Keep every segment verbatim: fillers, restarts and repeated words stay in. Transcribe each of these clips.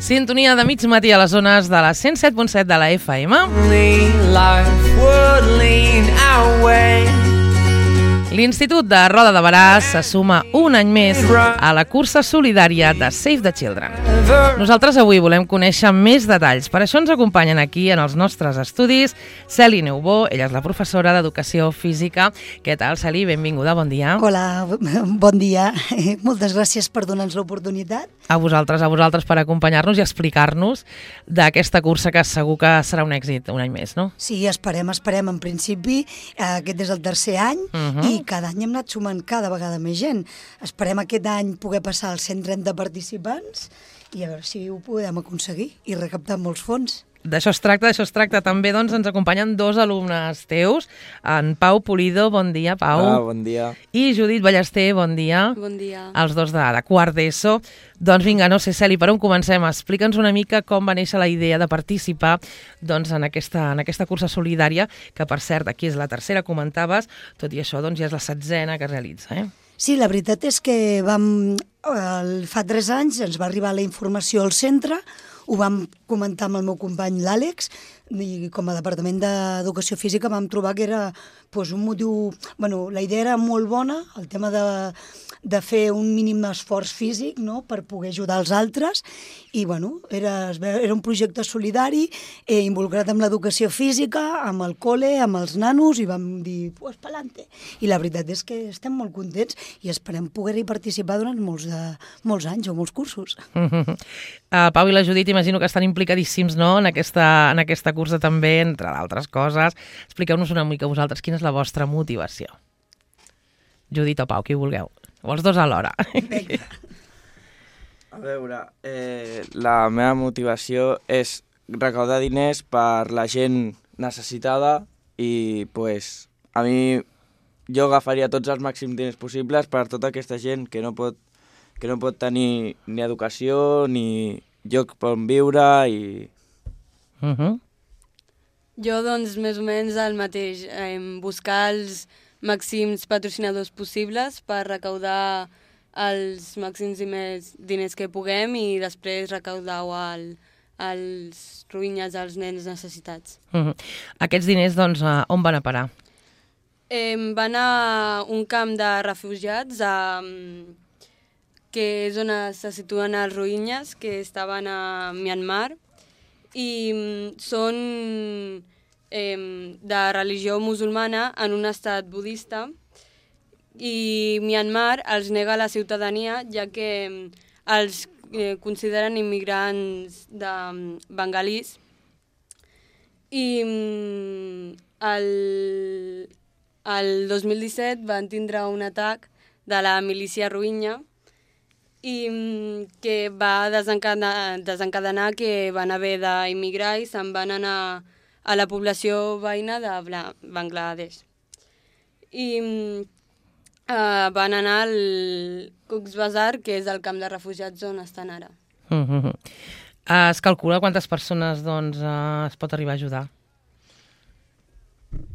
Sintonia de mig matí a les zones de la cent set punt set de la F M. L'Institut de Roda de Barà se suma un any més a la cursa solidària de Save the Children. Nosaltres avui volem conèixer més detalls. Per això ens acompanyen aquí en els nostres estudis Celi Neubó, ella és la professora d'Educació Física. Què tal, Celi? Benvinguda, bon dia. Hola, bon dia. Moltes gràcies per donar-nos l'oportunitat. A vosaltres, a vosaltres per acompanyar-nos i explicar-nos d'aquesta cursa que segur que serà un èxit un any més, no? Sí, esperem, esperem. En principi, aquest és el tercer any uh-huh. i cada any hem anat sumant cada vegada més gent. Esperem aquest any poder passar als cent trenta participants i a veure si ho podem aconseguir i recaptar molts fons. D'això es tracta, d'això es tracta. També doncs, ens acompanyen dos alumnes teus, en Pau Pulido, bon dia, Pau. Ah, bon dia. I Judit Ballester, bon dia. Bon dia. Els dos de, de quart d'ESO. Doncs vinga, no sé, Celi, per on comencem? Explica'ns una mica com va néixer la idea de participar doncs, en, aquesta, en aquesta cursa solidària, que per cert, aquí és la tercera, comentaves, tot i això doncs, ja és la setzena que es realitza, eh? Sí, la veritat és que vam, el, fa tres anys ens va arribar la informació al centre, ho vam comentar amb el meu company l'Àlex i com a Departament d'Educació Física vam trobar que era pues, un motiu... Bueno, la idea era molt bona, el tema de, de fer un mínim esforç físic, no?, per poder ajudar els altres i bueno, era, era un projecte solidari eh, involucrat amb l'educació física, amb el col·le, amb els nanos i vam dir, pues pa'lante. I la veritat és que estem molt contents i esperem poder-hi participar durant molts, de, molts anys o molts cursos. Uh, Pau i la Judit imagino que estan implicadíssims, no?, en aquesta, en aquesta cursa també, entre d'altres coses. Expliqueu-nos una mica vosaltres quina és la vostra motivació. Judit o Pau, qui vulgueu. O els dos alhora. A veure, eh, la meva motivació és recaudar diners per la gent necessitada i pues, a mi jo agafaria tots els màxims diners possibles per tota aquesta gent que no pot, que no pot tenir ni educació ni lloc on viure i... Uh-huh. Jo, doncs, més o menys el mateix, eh, buscar els màxims patrocinadors possibles per recaudar els màxims i més diners que puguem i després recaudar-ho al, als ruïnyes, als nens necessitats. Uh-huh. Aquests diners, doncs, on van a parar? Eh, van a un camp de refugiats a, que és on se situen els ruïnyes que estaven a Myanmar i són eh, de religió musulmana en un estat budista i Myanmar els nega la ciutadania ja que els eh, consideren immigrants de bengalís i el, el dos mil disset van tindre un atac de la milícia rohingya i que va desencadenar, desencadenar que van haver d'immigrar i se'n van anar a la població veïna de Bangladesh. I uh, van anar al Cox's Bazar, que és el camp de refugiats on estan ara. Uh-huh. Uh, es calcula quantes persones doncs, uh, es pot arribar a ajudar?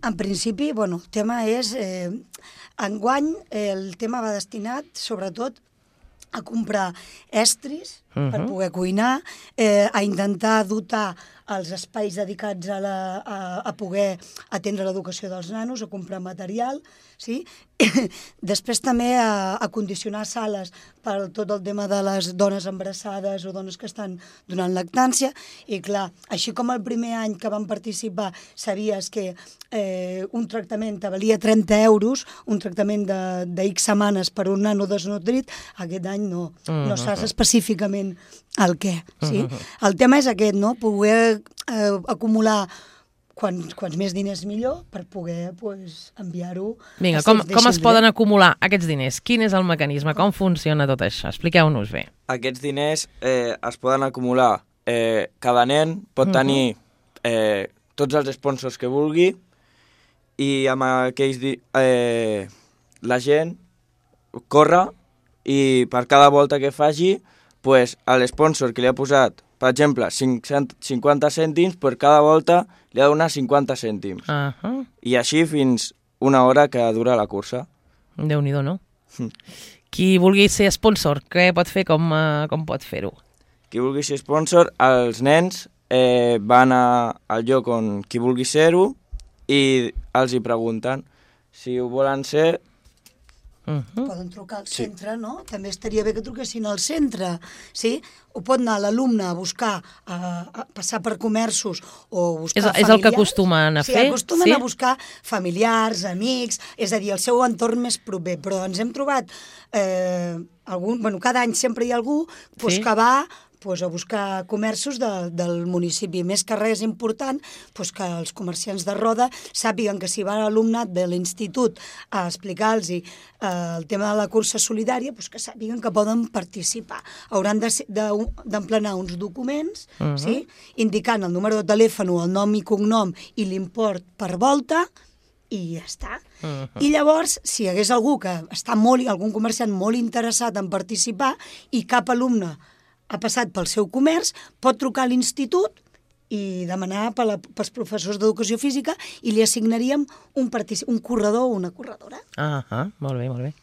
En principi, bueno, el tema és... Eh, enguany eh, el tema va destinat, sobretot, a comprar estris uh-huh. per poder cuinar, eh, a intentar dotar els espais dedicats a, la, a, a poder atendre l'educació dels nanos, a comprar material, sí? Després també a, a condicionar sales per tot el tema de les dones embarassades o dones que estan donant lactància, i clar, així com el primer any que vam participar sabies que eh, un tractament te valia trenta euros, un tractament de, de X setmanes per un nano desnodrit, aquest any no, uh-huh. no saps específicament el què, sí? Uh-huh. El tema és aquest, no?, poder eh, acumular Quants, quants més diners millor per poder pues, enviar-ho. Vinga, com, com es poden acumular aquests diners? Quin és el mecanisme? Com funciona tot això? Expliqueu-nos bé. Aquests diners eh, es poden acumular. Eh, cada nen pot uh-huh. tenir eh, tots els sponsors que vulgui i amb aquells... Di- eh, la gent corre i per cada volta que faci, pues, l'sponsor que li ha posat, per exemple, cinquanta cèntims, per cada volta li ha de donar cinquanta cèntims. Uh-huh. I així fins una hora que dura la cursa. Déu-n'hi-do, no? Qui vulgui ser sponsor, què pot fer, com, uh, com pot fer-ho? qui vulgui ser sponsor, els nens eh, van a, al lloc on qui vulgui ser-ho i els hi pregunten si ho volen ser. Uh -huh. Poden trucar al centre, sí. no? També estaria bé que truquessin al centre, sí? O pot anar l'alumne a buscar, a, a passar per comerços o buscar és, familiars. És el que acostumen a sí, fer? Sí, acostumen sí? a buscar familiars, amics, és a dir, el seu entorn més proper. Però ens hem trobat, eh, algun, bueno, cada any sempre hi ha algú pues, sí? que va pues, a buscar comerços de, del municipi. Més que res important pues, que els comerciants de Roda sàpiguen que si va l'alumnat de l'institut a explicar-los eh, el tema de la cursa solidària, pues, que sàpiguen que poden participar. Hauran d'emplenar de, de, uns documents uh -huh. sí? indicant el número de telèfon, el nom i cognom i l'import per volta, i ja està. Uh -huh. I llavors, si hi hagués algú que està molt, algun comerciant molt interessat en participar i cap alumne ha passat pel seu comerç, pot trucar a l'institut i demanar per la, pels professors d'educació física i li assignaríem un, un corredor o una corredora. Ah, ah, molt bé, molt bé.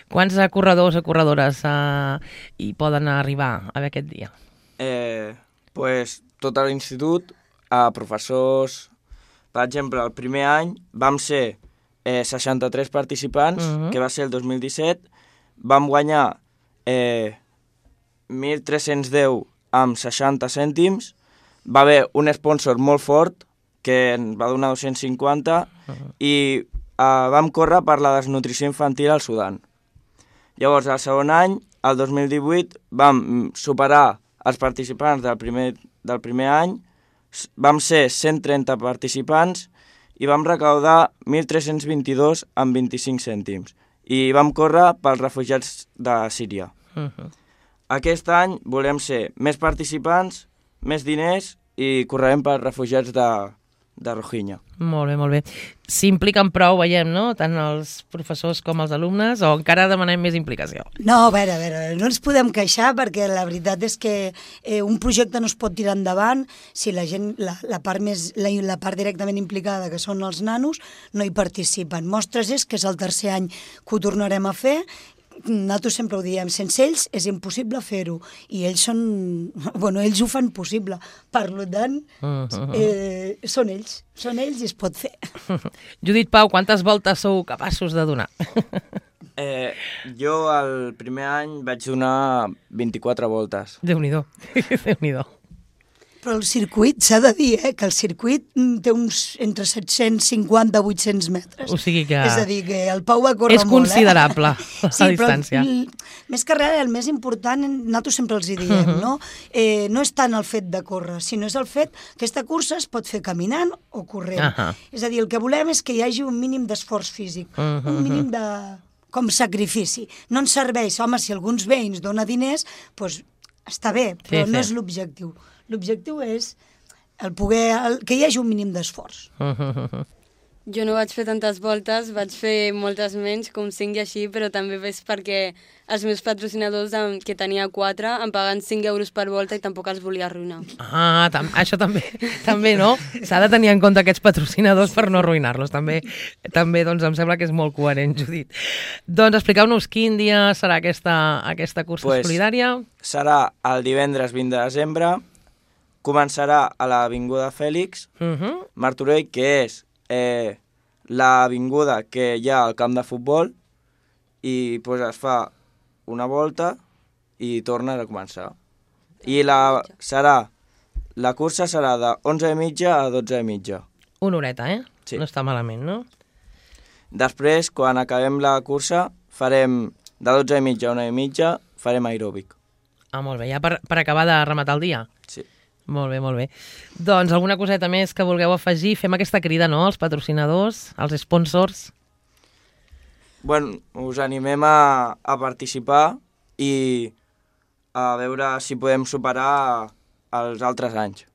Quants corredors o corredores uh, hi poden arribar a aquest dia? Eh, pues, tot l'institut, a professors... Per exemple, el primer any vam ser eh, seixanta-tres participants, uh -huh. que va ser el dos mil disset. Vam guanyar... Eh, mil tres-cents deu amb seixanta cèntims, va haver un sponsor molt fort que en va donar dos-cents cinquanta uh -huh. i uh, vam córrer per la desnutrició infantil al Sudan. Llavors, el segon any, el dos mil divuit, vam superar els participants del primer, del primer any, vam ser cent trenta participants i vam recaudar mil tres-cents vint-i-dos amb vint-i-cinc cèntims i vam córrer pels refugiats de Síria. Uh -huh. Aquest any volem ser més participants, més diners i correrem per refugiats de, de Rohingya. Molt bé, molt bé. S'impliquen prou, veiem, no? Tant els professors com els alumnes, o encara demanem més implicació? No, a veure, a veure, no ens podem queixar perquè la veritat és que eh, un projecte no es pot tirar endavant si la gent, la, la, part més, la, la part directament implicada, que són els nanos, no hi participen. Mostres és que és el tercer any que ho tornarem a fer. Nosaltres sempre ho diem, sense ells és impossible fer-ho, i ells són, bueno, ells ho fan possible, per tant, eh, són ells, són ells i es pot fer. Judit Pau, quantes voltes sou capaços de donar? Eh, jo el primer any vaig donar vint-i-quatre voltes. Déu-n'hi-do, Déu-n'hi-do. Però el circuit, s'ha de dir, eh, que el circuit té uns entre set-cents cinquanta i vuit-cents metres. O sigui que... És a dir, que el Pau va córrer és molt, considerable, eh? la sí, distància. Però, més que res, el més important, nosaltres sempre els hi diem, uh -huh. no? Eh, no és tant el fet de córrer, sinó és el fet que aquesta cursa es pot fer caminant o corrent. Uh -huh. És a dir, el que volem és que hi hagi un mínim d'esforç físic, uh -huh. un mínim de... com sacrifici. No ens serveix, home, si alguns veïns dona diners, doncs està bé, però sí, no sí. és l'objectiu. L'objectiu és el poder, el, que hi hagi un mínim d'esforç. Jo no vaig fer tantes voltes, vaig fer moltes menys, com cinc i així, però també és perquè els meus patrocinadors, que tenia quatre, em paguen cinc euros per volta i tampoc els volia arruïnar. Ah, tam això també, també no? S'ha de tenir en compte aquests patrocinadors per no arruïnar-los. També, també doncs, em sembla que és molt coherent, Judit. Doncs expliqueu-nos quin dia serà aquesta, aquesta cursa pues, solidària. Serà el divendres vint de desembre, començarà a l'Avinguda Fèlix, uh -huh. Martorell, que és eh, l'avinguda que hi ha al camp de futbol, i pues, es fa una volta i torna a començar. I la, serà, la cursa serà de onze i mitja a dotze i mitja. Una horeta, eh? Sí. No està malament, no? Després, quan acabem la cursa, farem de dotze i mitja a una i mitja, farem aeròbic. Ah, molt bé. Ja per, per acabar de rematar el dia? Sí. Molt bé, molt bé. Doncs alguna coseta més que vulgueu afegir? Fem aquesta crida, no?, als patrocinadors, als sponsors. Bueno, us animem a, a participar i a veure si podem superar els altres anys.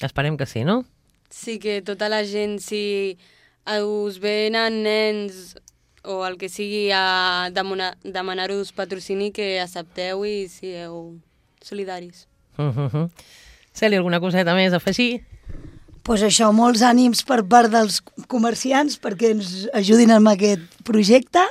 Esperem que sí, no? Sí, que tota la gent, si us venen nens o el que sigui a demanar-vos patrocini, que accepteu i sigueu solidaris. Uh -huh. Celi, alguna coseta més a afegir? pues això, molts ànims per part dels comerciants perquè ens ajudin amb aquest projecte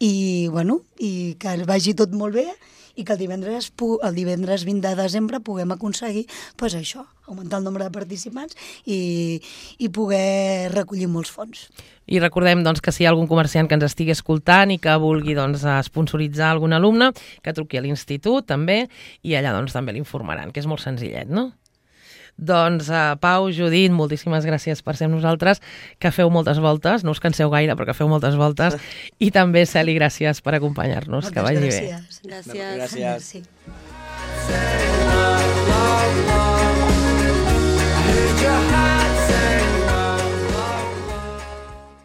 i, bueno, i que vagi tot molt bé i que el divendres, el divendres vint de desembre puguem aconseguir pues això, augmentar el nombre de participants i, i poder recollir molts fons. I recordem doncs, que si hi ha algun comerciant que ens estigui escoltant i que vulgui doncs, sponsoritzar algun alumne, que truqui a l'institut també i allà doncs, també l'informaran, que és molt senzillet, no? Doncs uh, Pau, Judit, moltíssimes gràcies per ser amb nosaltres, que feu moltes voltes, no us canseu gaire però que feu moltes voltes, i també Celi, gràcies per acompanyar-nos, que vagi bé. Gràcies. Gràcies. Gràcies.